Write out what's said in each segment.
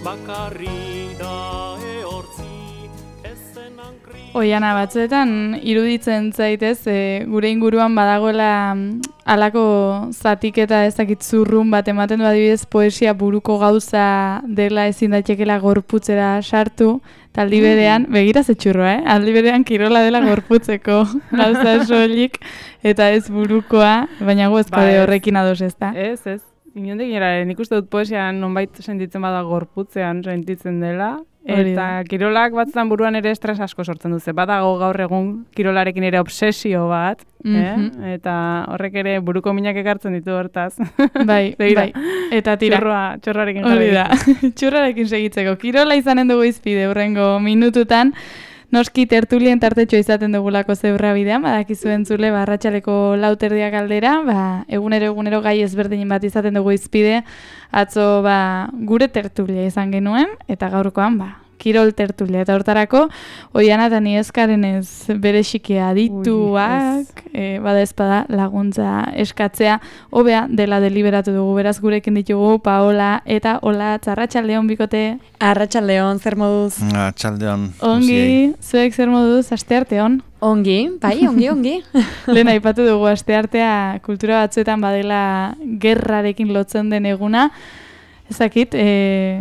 bakarri da ehortzi ezenan Oiana, batzuetan iruditzen zaitez, gure inguruan badagoela halako zatiketa ezakit zurrun bat ematen du, adibidez poesia buruko gauza dela ezin daitekeela gorputzera sartu, eta aldi berean, begira zetxurroa, aldi berean kirola dela gorputzeko gauza soilik, eta ez burukoa, baina gu ezkade horrekin ados ez da. Ez. Inondik nire, nik uste dut poesian nonbait sentitzen bada gorputzean sentitzen dela, eta kirolak batzutan buruan ere estres asko sortzen duze. Badago gaur egun kirolarekin ere obsesio bat, eta horrek ere buruko minak ekartzen ditu hortaz. Bai. Eta tira. Txorrarekin jarri da. Txorrarekin segitzeko. Kirola izanen dugu izpide hurrengo minututan. Noski tertulien tartetxo izaten dugulako zeurra bidean, badakizu entzule, arratsaleko 4:00 aldera, egunero gai ezberdinen bat izaten dugu izpide, atzo gure tertulia izan genuen, eta gaurkoan kirol tertulia, eta hortarako Oiana eta Nieskarenez bereziki adituak, bada ezpada laguntza eskatzea, hobea dela deliberatu dugu, beraz gurekin ditugu Paola eta Olatz, arratsaldeon bikote. Arratsaldeon, zer moduz? Arratsaldeon. Ongi, zuek zer moduz, astearteon? Ongi, bai, ongi. Lehen aipatu dugu asteartea kultura batzuetan badela gerrarekin lotzen den eguna. Ezakit,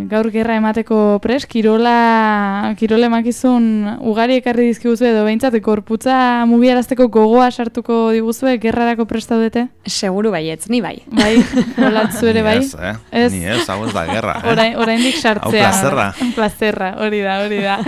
gaur gerra emateko pres, kirole emakizun ugari ekarri dizkiguzu edo behintzat, gorputza mugiarazteko gogoa sartuko diguzue gerrarako prestaudete? Seguru baietz, ni bai. Bai, Olatzu ere bai? Ez, ni ez, hau ez da gerra. Oraindik sartzea. Hau plazerra, hori da.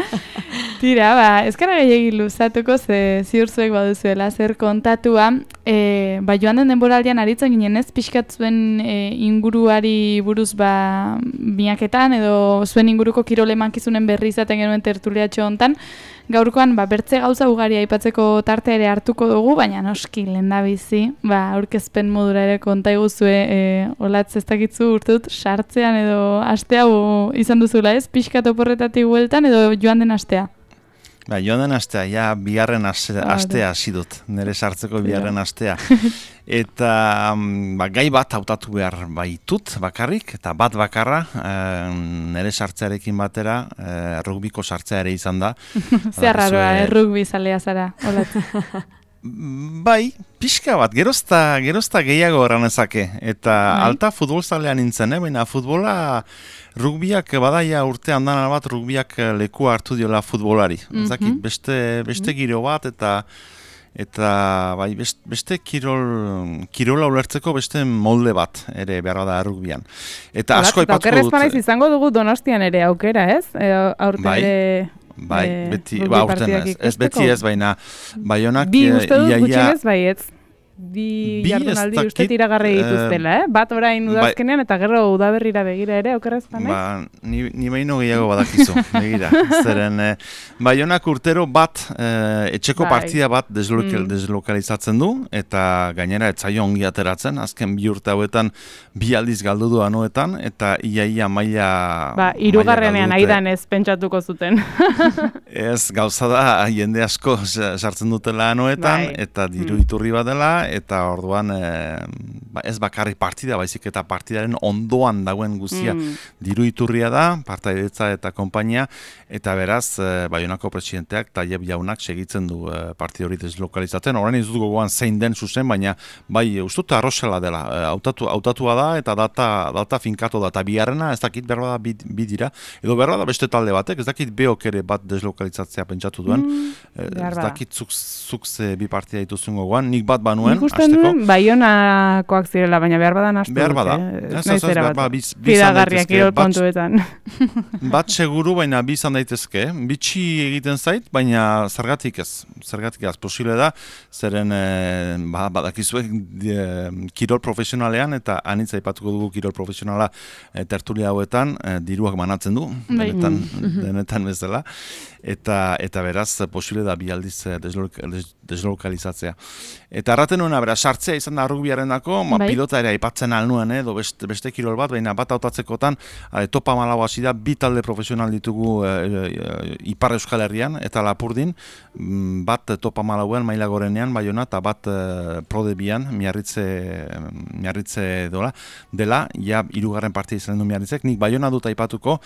Tira, ezkara gehiagin luzatuko, ziur zuek baduzuela zer kontatua, joan den denboraldian aritzen ginen ez, pixkat zuen inguruari buruz biaketan, edo zuen inguruko kirole mankizunen berri izaten genuen tertuliatxo hontan, gaurkoan bertze gauza ugari aipatzeko tartea ere hartuko dugu, baina noski lehendabizi, aurkezpen modura ere konta iguzue, Olatz ez dakitzu urte dut, sartzean edo astea izan duzula ez, pixkat oporretatik bueltan edo joan den astea? Joan den astea, bigarren astea hasi dut, nire sartzeko bigarren astea. Eta gai bat hautatu behar baitut bakarrik, eta bat bakarra, nire sartzearekin batera, rugbiko sartzea ere izan da. Zer raroa, rugbi zalea zara, Olatz. Bai, pixka bat, gerozta gehiago erranezake. Eta alta futbolzalean nintzen, baina futbola rugbiak badaia urte handan bat rugbiak lekua hartu diola futbolari. Ezakit, beste giro bat eta bai, beste kirola ulertzeko beste molde bat ere behar da rugbian. Eta asko aipatuko dut. Okerrez izango dugu Donostian ere aukera, ez? Aurte ere... Bai, beti, aurten ez beti ez, baina Baionak bi uste dut gutxinez baietz. Bi jardunaldi uste tiragarri dituztela, bat orain udazkenean eta gero udaberrira begira ere, okerrez panaiz? Ni baino gehiago badakizu, begira. Zeren, Baionak urtero bat, etxeko partida bat deslokalizatzen du, eta gainera etzaio ongi ateratzen, azken bi urte hauetan bi aldiz galdu du anoetan, eta ia maila... Hirugarrenean aidan ez pentsatuko zuten. Ez, gauza da, jende asko sartzen dutela anoetan, eta diru iturri bat dela, eta orduan ez bakarrik partida, baizik eta partidaren ondoan dagoen guztia diru iturria da, partaidetza eta konpainia, eta beraz, Baionako presidenteak, Taieb jaunak segitzen du partida hori deslokalizatzen. Orain ez dut gogoan zein den zuzen, baina bai, ustut arrozela dela, hautatua da, eta data finkatu da, eta biharrena, ez dakit berba da bi dira, edo berba da beste talde batek, ez dakit beok ere bat deslokalizatzea pentsatu duen, ez dakit zuk ze bi partida dituzun gogoan, nik bat banuen, nik uste nuen Baionakoak zirela, baina behar badan astu dut. Behar bada. Fidagarriak irol kontuetan. Bat seguru, baina bi izan daitezke. Bitxi egiten zait, baina zergatik ez. Posible da, zeren badakizuek kirol profesionalean, eta anitza aipatuko dugu kirol profesionala tertulia hauetan, diruak banatzen du, denetan bezala. Eta beraz, posible da bi aldiz deslokalizatzea. Eta arraten nuena, bera, sartzea izan da rugbiarendako, pilota ere aipatzen alnuen, edo beste kirol bat, baina bat hautatzekotan, topa malau hasi da, 2 talde profesional ditugu Ipar Euskal Herrian, eta Lapurdin, bat topa malauen maila gorenean, Baiona, eta bat prodebian, miarritze dela, ja, 3. partia izan du miarritzek, nik Baiona dut aipatuko,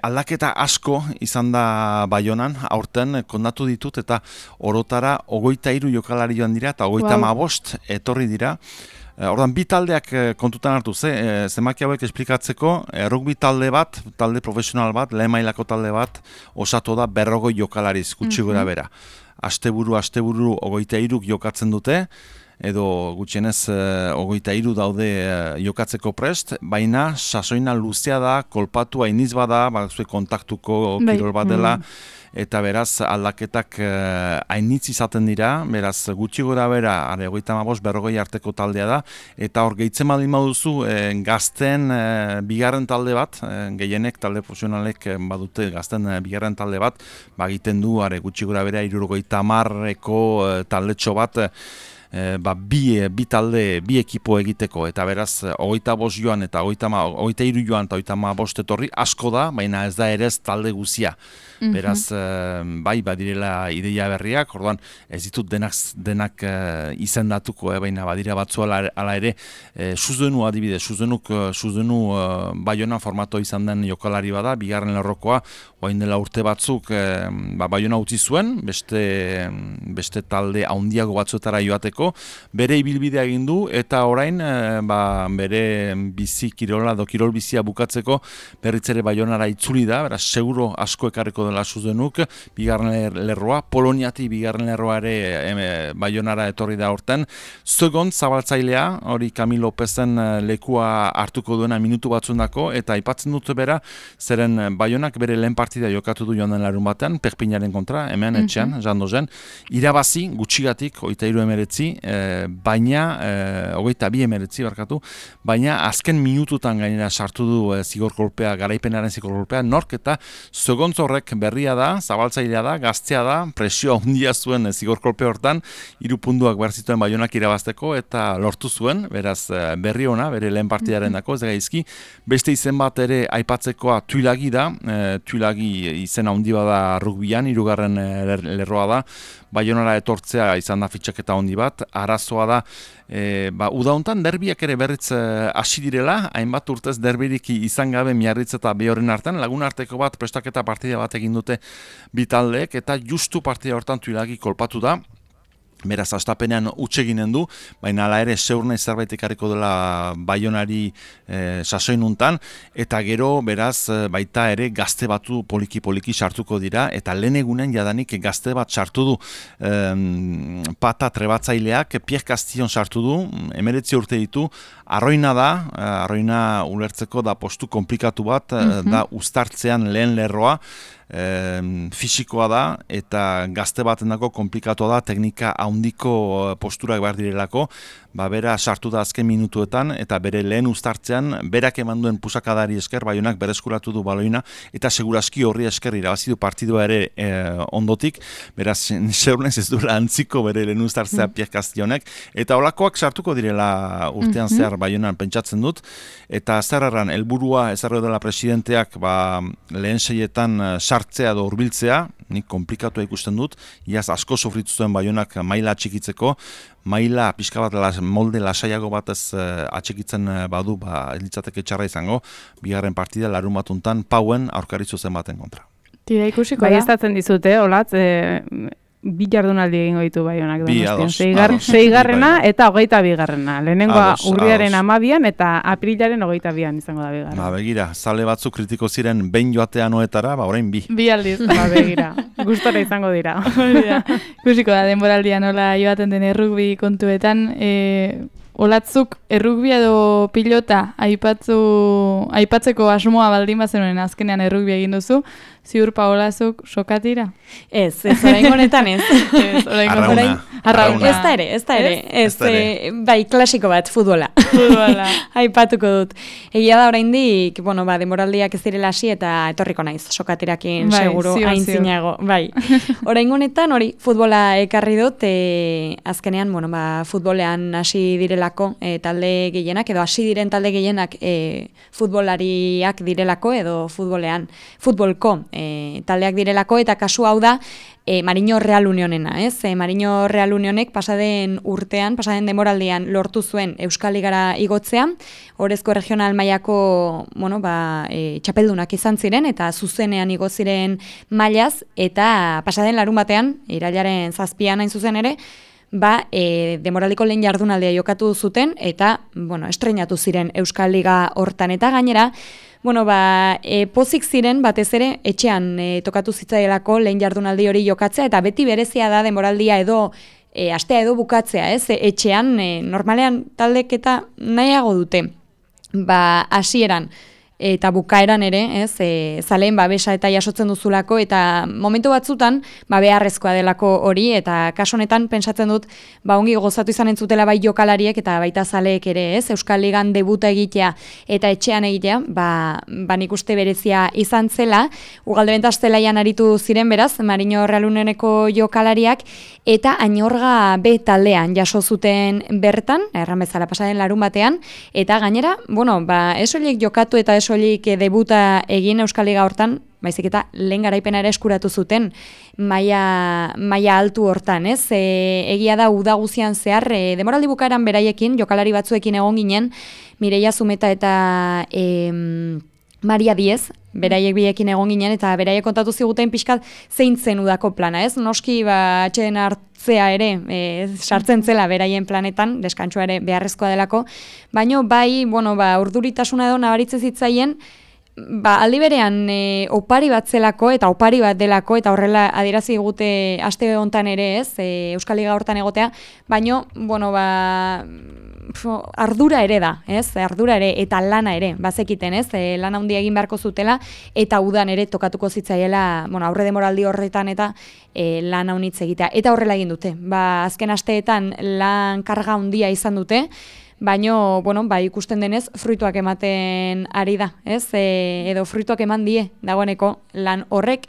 aldaketa asko izan da Baionan, aurten kondatu ditut, eta orotara 23 jokalari joan dira, eta 35 etorri dira. Ordan 2 taldeak kontutan hartu, zemaki hauek esplikatzeko, rugby talde bat, talde profesional bat, lehen mailako talde bat, osatu da 40 jokalariz, gutxi gora bera. Asteburu 23 jokatzen dute, edo gutxienez 23 daude jokatzeko prest, baina sasoina luzea da, kolpatu hainiz bada, kontaktuko kirol bat dela, eta beraz aldaketak hainitz izaten dira, beraz gutxi gora bera, 35-40 arteko taldea da, eta hor gehitzen baldin baduzu gazten bigarren talde bat, gehienek talde profesionalek badute gazten bigarren talde bat, egiten du gutxi gora bera 70-eko taldetxo bat, bi talde, bi ekipo egiteko, eta beraz 25 joan eta 23 joan eta 35 etorri asko da, baina ez da ere talde guzia. Beraz, badirela ideia berriak, orduan ez ditut denak izendatuko, baina badira batzu ala ere, Suzenu adibidez, Suzenu Baiona formato izan den jokalari bada, bigarren lerrokoa, orain dela urte batzuk Baiona utzi zuen, beste talde handiago batzuetara joateko, bere ibilbidea egin du, eta orain bere bizi kirola edo kirol bizia bukatzeko berritzere Baionara itzuli da, beraz seguro asko ekarriko dela Suzenuk, bigarren lerroa, Poloniati bigarren lerroa ere Baionara etorri da horten. Segon zabaltzailea, hori Camilo Lopezen lekua hartuko duena minutu batzundako, eta aipatzen dut bera, zeren Baionak bere lehen partida jokatu du joan den larun batean, Perpinaren kontra, hemen etxean, jandozen, irabazi, gutxigatik, 23-19, baina, 22-19 barkatu, baina azken minututan gainera sartu du zigorkolpea, garaipenaren zigorkolpea, nork eta segontzorrek berria da, zabaltzailea da, gaztea da, presioa handia zuen zigorkolpe hortan, 3 puntuak behar zituen Baionak irabazteko, eta lortu zuen, beraz berri ona, bere lehen partidaren dako, ez da gaizki, beste izen bat ere aipatzekoa Tuilagi da, Tuilagi izen handi bada rugbyan, 3. lerroa da, Baionara etortzea izan da fitxaketa handi bat, arazoa da, uda hontan derbiak ere berriz hasi direla, hainbat urtez derbirik izan gabe Miarritz eta Behorren artean, lagun arteko bat prestaketa partida bat egin dute bi taldeek, eta justu partida hortan Tuilagi kolpatu da, beraz hastapenean utseginen du, baina hala ere zeurne zerbait ekarriko dela Baionari sasoinuntan, eta gero beraz baita ere gazte batu poliki sartuko dira, eta lehen egunen jadanik gazte bat sartu du pata trebatzaileak, Pierre Castillon sartu du, 19 urte ditu, arroina da, arroina ulertzeko da postu komplikatu bat, da uztartzean lehen lerroa, fisikoa da, eta gazte batendako komplikatua da, teknika handiko posturak behar direlako, bera sartu da azken minutuetan, eta bere lehen uztartzean, berak eman duen pusakadari esker, Baionak bereskuratu du baloina, eta seguraski horri esker irabazi du partidua ere ondotik, beraz, seurnez ez duela antziko bere lehen uztartzea Pierre Castillonek, eta holakoak sartuko direla urtean zehar Baionan pentsatzen dut, eta zerreran, helburua ezarro dela presidenteak lehen seietan sartzea edo hurbiltzea, nik komplikatua ikusten dut, iaz asko sofritu zuen Baionak maila atxikitzeko, maila pixka bat molde lasaiago batez atxikitzen badu, ez litzateke txarra izango, bigarren partida larun batuntan Pauen aurkari zuzen baten kontra. Tira ikusiko da. Baiestatzen dizute, olatz, 2 jardunaldi egingo ditu Baionak. Seigarrena eta 22. Lehenengoa urriaren 12an eta aprilaren 22an izango da bigarren. Begira, zale batzuk kritiko ziren behin joatea noetara, orain bi. Bi aldiz. Begira, gustora izango dira. Ikusiko da, denboraldia nola joaten den rugby kontuetan, olatzuk errugbia edo pilota aipatzeko asmoa baldin bazenuen azkenean errugbia egin duzu, ziur Paolazuk sokatira? Ez, oraingo honetan ez. Arrauna. Ez da ere. Bai, klasiko bat, futbola. Aipatuko dut. Egia da oraindik, denboraldiak ez direla hasi eta etorriko naiz sokatirakin seguru aintzinago. Bai. Oraingo honetan hori futbola ekarri dut, azkenean, futbolean hasi direlako talde gehienak, edo hasi diren talde gehienak futbolariak direlako, edo futbolko taldeak direlako, eta kasu hau da, Marino Real Unionena, ez? Marino Real Unionek pasaden demoraldian lortu zuen Euskal Ligara igotzea, Orezko regional mailako, txapeldunak izan ziren, eta zuzenean igo ziren mailaz, eta pasaden larun batean, irailaren 7an hain zuzen ere, demoraldiko lehen jardunaldia jokatu zuten, eta, estrenatu ziren Euskal Liga hortan, eta gainera, pozik ziren batez ere etxean tokatu zitzaielako lehen jardunaldi hori jokatzea, eta beti berezia da demoraldia edo astea edo bukatzea, ez? Etxean normalean taldek eta nahiago dute. Hasieran eta bukaeran ere, ez? Zaleen babesa eta jasotzen duzulako, eta momentu batzutan beharrezkoa delako hori, eta kaso honetan pentsatzen dut ongi gozatu izan entzutela bai jokalariek eta baita zaleek ere, ez? Euskal Ligan debuta egitea eta etxean egitea, nik uste berezia izan zela, Ugalde Bentas zelaian aritu ziren beraz, Marino Real Unioneko jokalariak, eta Añorga B taldean jaso zuten bertan, erran bezala pasaden larun batean, eta gainera, ez horiek jokatu eta ez horiek debuta egin Euskal Liga hortan, baizik eta lehen garaipena ere eskuratu zuten maila altu hortan, ez? Egia da uda guzian zehar, demoraldi bukaeran beraiekin, jokalari batzuekin egon ginen, Mireia Zumeta eta Maria Diez, beraiek biekin egon ginen, eta beraiek kontatu ziguten pixkat zein zen udako plana, ez? Noski, atxeden hartzea ere, sartzen zela beraien planetan, deskantsua ere beharrezkoa delako, baino bai, urduritasuna edo nabaritzen zitzaien, aldi berean opari bat zelako, eta opari bat delako, eta horrela adierazi gute aste hontan ere, ez? Euskal Liga hortan egotea, baino, ardura ere da, ez? Ardura ere eta lana ere, bazekiten, ez? Lana handia egin beharko zutela, eta udan ere tokatuko zitzaiela, aurre demoraldi horretan eta lana unitz egitea. Eta horrela egin dute. Azken asteetan lan karga handia izan dute, baino, ikusten denez, fruituak ematen ari da, ez? Edo fruituak eman die dagoeneko lan horrek,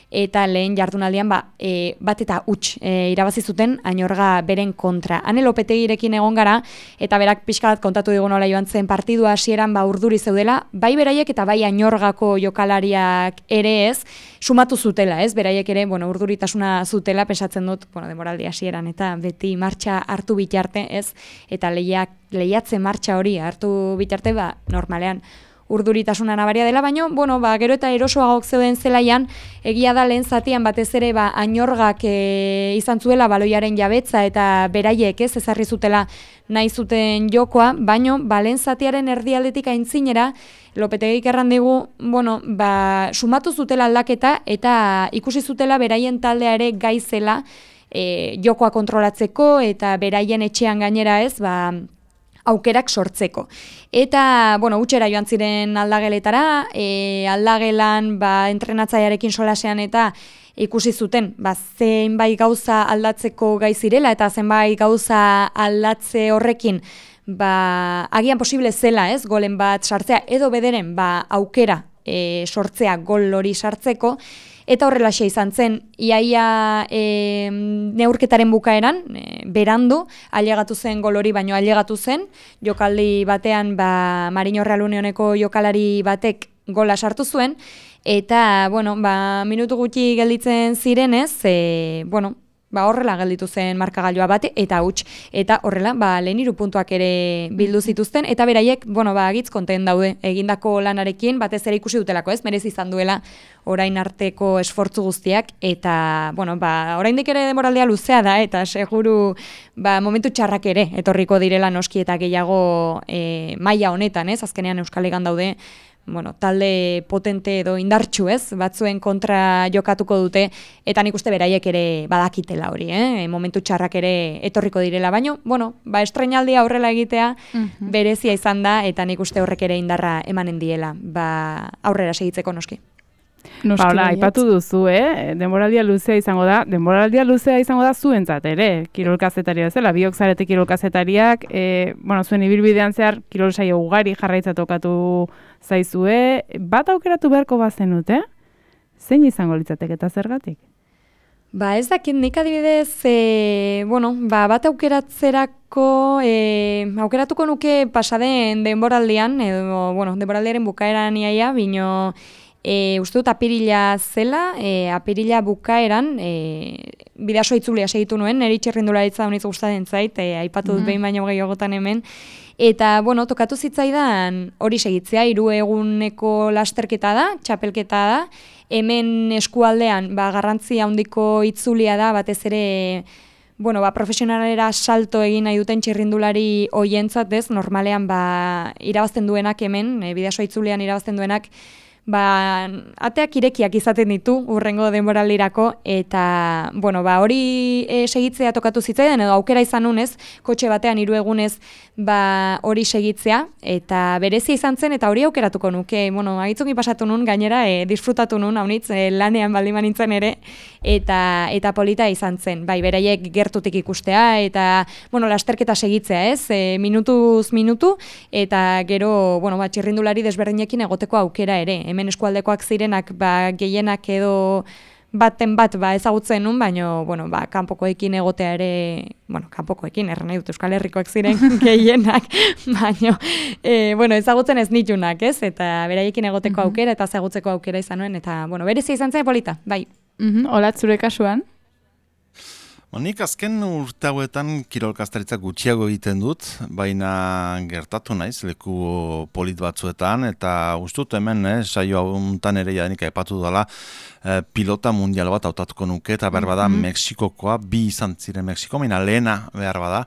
eta lehen jardunaldian bat eta huts irabazi zuten Añorga beren kontra. Ane Lopetegirekin egon gara, eta berak pixka bat kontatu digu nola joan zen partidua hasieran urduri zeudela, bai beraiek eta bai Añorgako jokalariak ere ez, sumatu zutela, ez? Beraiek ere, urduritasuna zutela, pensatzen dut, demoraldi hasieran, eta beti martxa hartu bitarte, ez? Eta lehiatze martxa hori hartu bitarte, normalean, urduritasuna nabaria dela, baino, gero eta erosoagok zeuden zelaian, egia da lehen zatian batez ere Añorgak izan zuela baloiaren jabetza eta beraiek ezarri zutela nahi zuten jokoa, baino, lehen zatiaren erdialdetik aintzinera, Lopetegik erran digu, sumatu zutela aldaketa eta ikusi zutela beraien taldea ere gaizela jokoa kontrolatzeko eta beraien etxean gainera ez, aukerak sortzeko. Eta, utxera joan ziren aldageletara, aldagelan entrenatzailearekin solasean eta ikusi zuten, zenbait gauza aldatzeko gai zirela eta zenbait gauza aldatze horrekin, agian posible zela, ez, golen bat sartzea, edo bederen, aukera sortzea gol hori sartzeko, eta horrelaxe izan zen, iaia neurketaren bukaeran, berandu, ailegatu zen gol hori, baino ailegatu zen, jokaldi batean Marino Real Unioneko jokalari batek gola sartu zuen, eta, minutu gutxi gelditzen zirenez, horrela gelditu zen markagailua bate, eta huts, eta horrela, lehen 3 puntuak ere bildu zituzten, eta beraiek, agitz konten daude, egindako lanarekin, batez ere ikusi dutelako, ez, merezi izan duela orain arteko esfortzu guztiak, eta, oraindik ere demoraldea luzea da, eta seguru, momentu txarrak ere, etorriko direla noski eta gehiago maila honetan, ez, azkenean Euskal Ligan daude, talde potente edo indartsu, ez? Batzuen kontra jokatuko dute, eta nik uste beraiek ere badakitela hori, momentu txarrak ere etorriko direla, baino, estreinaldia horrela egitea berezia izan da, eta nik uste horrek ere indarra emanen diela, aurrera segitzeko noski. Paula, aipatu duzu, denboraldia luzea izango da zuentzat ere, kirol kazetaria bezala, biok zarete kirol kazetariak, zuen ibilbidean zehar kirol saio ugari jarraitza tokatu zaizue, bat aukeratu beharko bazenute, zein izango litzateke eta zergatik? Ez dakit, nik adibidez, bat aukeratzerako, aukeratuko nuke pasaden denboraldian, edo, denboraldiaren bukaeran iaia, bino, uste dut apirila zela, apirila bukaeran, bidasoa itzulia segitu nuen, niri txirrindularitza honitz gustatzen zait, aipatu dut behin baino gehiagotan hemen, eta, tokatu zitzaidan hori segitzea, 3 eguneko lasterketa da, txapelketa da, hemen eskualdean garrantzia handiko itzulia da, batez ere, profesionalera salto egin nahi duten txirrindulari hoientzat, normalean irabazten duenak hemen, bidasoa itzulean irabazten duenak, ateak irekiak izaten ditu urrengo denboraldirako, eta hori segitzea tokatu zitzaidan, edo aukera izan nunez, kotxe batean 3 egunez hori segitzea, eta berezia izan zen, eta hori aukeratuko nuke, agitzungi pasatu nun, gainera disfrutatu nun, haunitz, lanean baldiman nintzen ere, eta polita izan zen, beraiek gertutik ikustea, eta lasterketa segitzea, minutuz minutu, eta gero, txirrindulari desberdinekin egoteko aukera ere, hemen eskualdekoak zirenak gehienak edo baten bat ezagutzen nun, baino kanpokoekin egotea ere, kanpokoekin, erran nahi dut Euskal Herrikoak ziren gehienak, baino ezagutzen ez nitunak, eta beraiekin egoteko aukera eta ezagutzeko aukera izan nuen, eta berezia izan zen polita, bai. Olat, zure kasuan? Nik azken urte hauetan kirolkastaritza gutxiago egiten dut, baina gertatu naiz leku polit batzuetan, eta ustut hemen, saio hauntan ere jadenik aipatu dela, pilota mundial bat hautatuko nuke, eta behar bada Mexikokoa, 2 izan ziren Mexiko, baina lehena behar bada,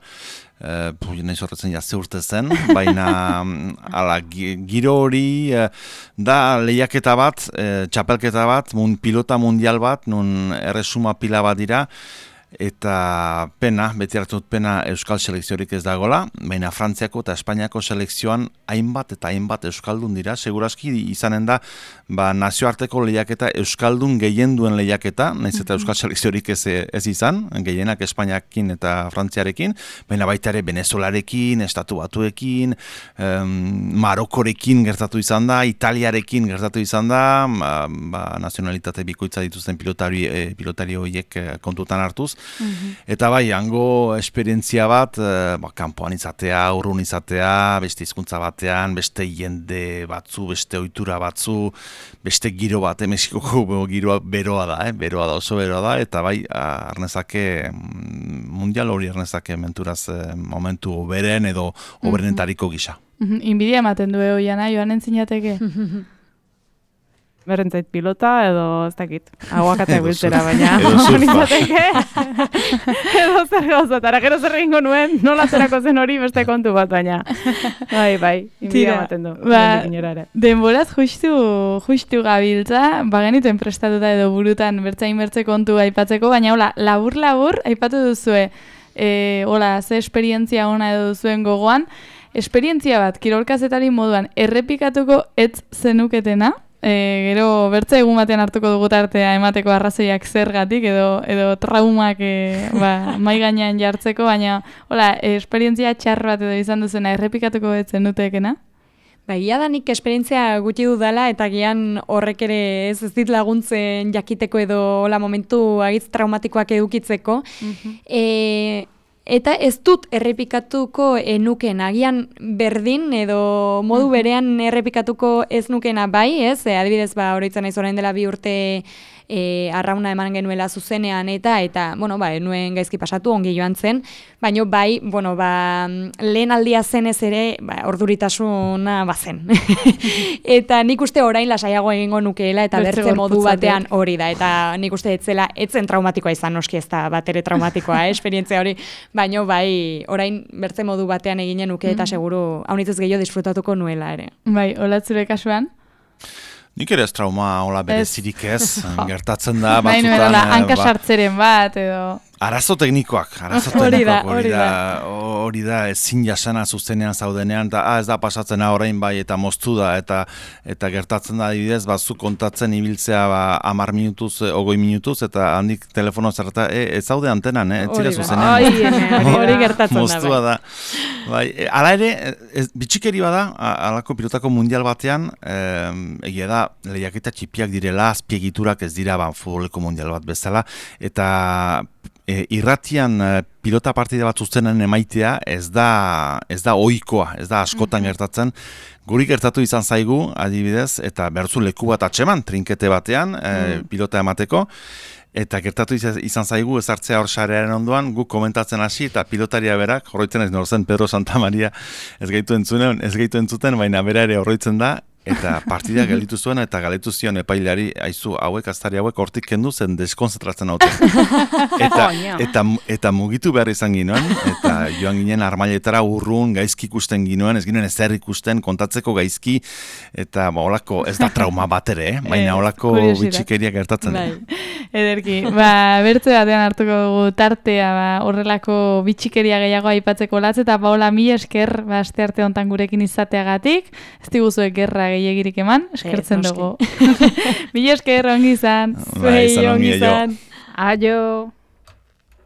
nahi zorretzen jazte urte zen, baina giro hori da lehiaketa bat, txapelketa bat, pilota mundial bat, nun erresuma pila bat dira, eta beti hartu dut pena Euskal selekziorik ez dagoela, baina Frantziako eta Espainiako selekzioan hainbat eta hainbat Euskaldun dira, seguraski izanen da nazioarteko lehiaketa Euskaldun gehien duen lehiaketa, nahiz eta Euskal selekziorik ez izan, gehienak Espainiakin eta Frantziarekin, baina baita ere Venezuelarekin, Estatu Batuekin, Marokorekin gertatu izan da, Italiarekin gertatu izan da, nazionalitate bikoitza dituzten pilotari horiek kontutan hartuz, eta hango esperientzia bat, kanpoan izatea, urrun izatea, beste hizkuntza batean, beste jende batzu, beste ohitura batzu, beste giro bat, Mexikoko giroa beroa da, oso beroa da, eta arnezake, mundial hori arnezake menturaz momentu oberen edo oberenetariko gisa. Inbidia ematen du Oiana, joan entzinateke? Berrentzait pilota edo ez dakit, aguakate biltzera, baina edo zer gauzatara, gero zer egingo nuen, nola zerako zen hori beste kontu bat, baina bai, inbidia ematen du. Denboraz justu gabiltza, genituen prestatuta edo burutan bertzain bertze kontu aipatzeko, baina labur aipatu duzue, ze esperientzia ona edo duzuen gogoan, esperientzia bat, kirolkazetari moduan, errepikatuko ez zenuketena, gero bertze egun batean hartuko dugu tartea emateko arrazoiak zergatik edo traumak mai gainean jartzeko, baina esperientzia txar bat edo izan duzena errepikatuko ez zenutekena? Ia da nik esperientzia gutxi dudala eta gian horrek ere ez dit laguntzen jakiteko edo momentu agitz traumatikoak edukitzeko. Eta ez dut errepikatuko nuken, agian berdin edo modu berean errepikatuko ez nukena bai, adibidez oroitzen naiz orain dela 2 urte arrauna eman genuela zuzenean eta nuen gaizki pasatu, ongi joan zen, baina lehen aldia zenez ere orduritasuna bazen. Eta nik uste orain lasaiago egingo nukeela eta bertze modu batean hori da, eta nik uste etzen traumatikoa izan, noski ez da bat ere traumatikoa, esperientzia hori, baina orain bertze modu batean eginen nuke eta seguru haunitzez gehiago disfrutatuko nuela ere. Bai, Olat, zure kasuan? Nik ere ez trauma hola berezirik ez, gertatzen da batzutan. Nahi hankasartzeren bat edo... Arazo teknikoak hori da ezin jasana zuzenean zaudenean, eta ez da pasatzen orain bai eta moztu da, eta gertatzen da adibidez, zu kontatzen ibiltzea 10 minutuz, 20 minutuz, eta handik telefono zerreta, ez zaude antenan, ez zira zuzenean. Hori gertatzen da. Moztua da. Hala ere, bitxikeri bada, alako pilotako mundial batean, egia da, lehiaketa txipiak direla, azpiegiturak ez dira futboleko mundial bat bezala, eta irratian pilota partida bat zuzenen emaitea ez da ohikoa, ez da askotan gertatzen. Guri gertatu izan zaigu, adibidez, eta berzu leku bat atxeman, trinkete batean, pilota emateko, eta gertatu izan zaigu ezartzea hor sarearen ondoan, guk komentatzen hasi, eta pilotaria berak, horroitzen ez norzen Pedro Santamaria ez gaitu entzuten, baina bera ere horroitzen da, eta partida gelditu zuen eta galetu zion epailari, aizu, aztari hauek hortik kendu zen deskonzentratzen haute. Eta mugitu behar izan ginoen, eta joan ginen armailetara urrun, gaizki ikusten ginoen, ez ginen ezer ikusten, kontatzeko gaizki, eta holako ez da trauma bat ere, baina holako bitxikeria gertatzen. Ederki, bertze batean hartuko dugu tartea horrelako bitxikeria gehiago aipatzeko latz, eta Paola, mila esker aste arte hontan gurekin izateagatik, ez diguzuek gerra gehiagirik eman, eskertzen dugu. Mila esker, ongi izan. Zuei, ongi izan. Aio.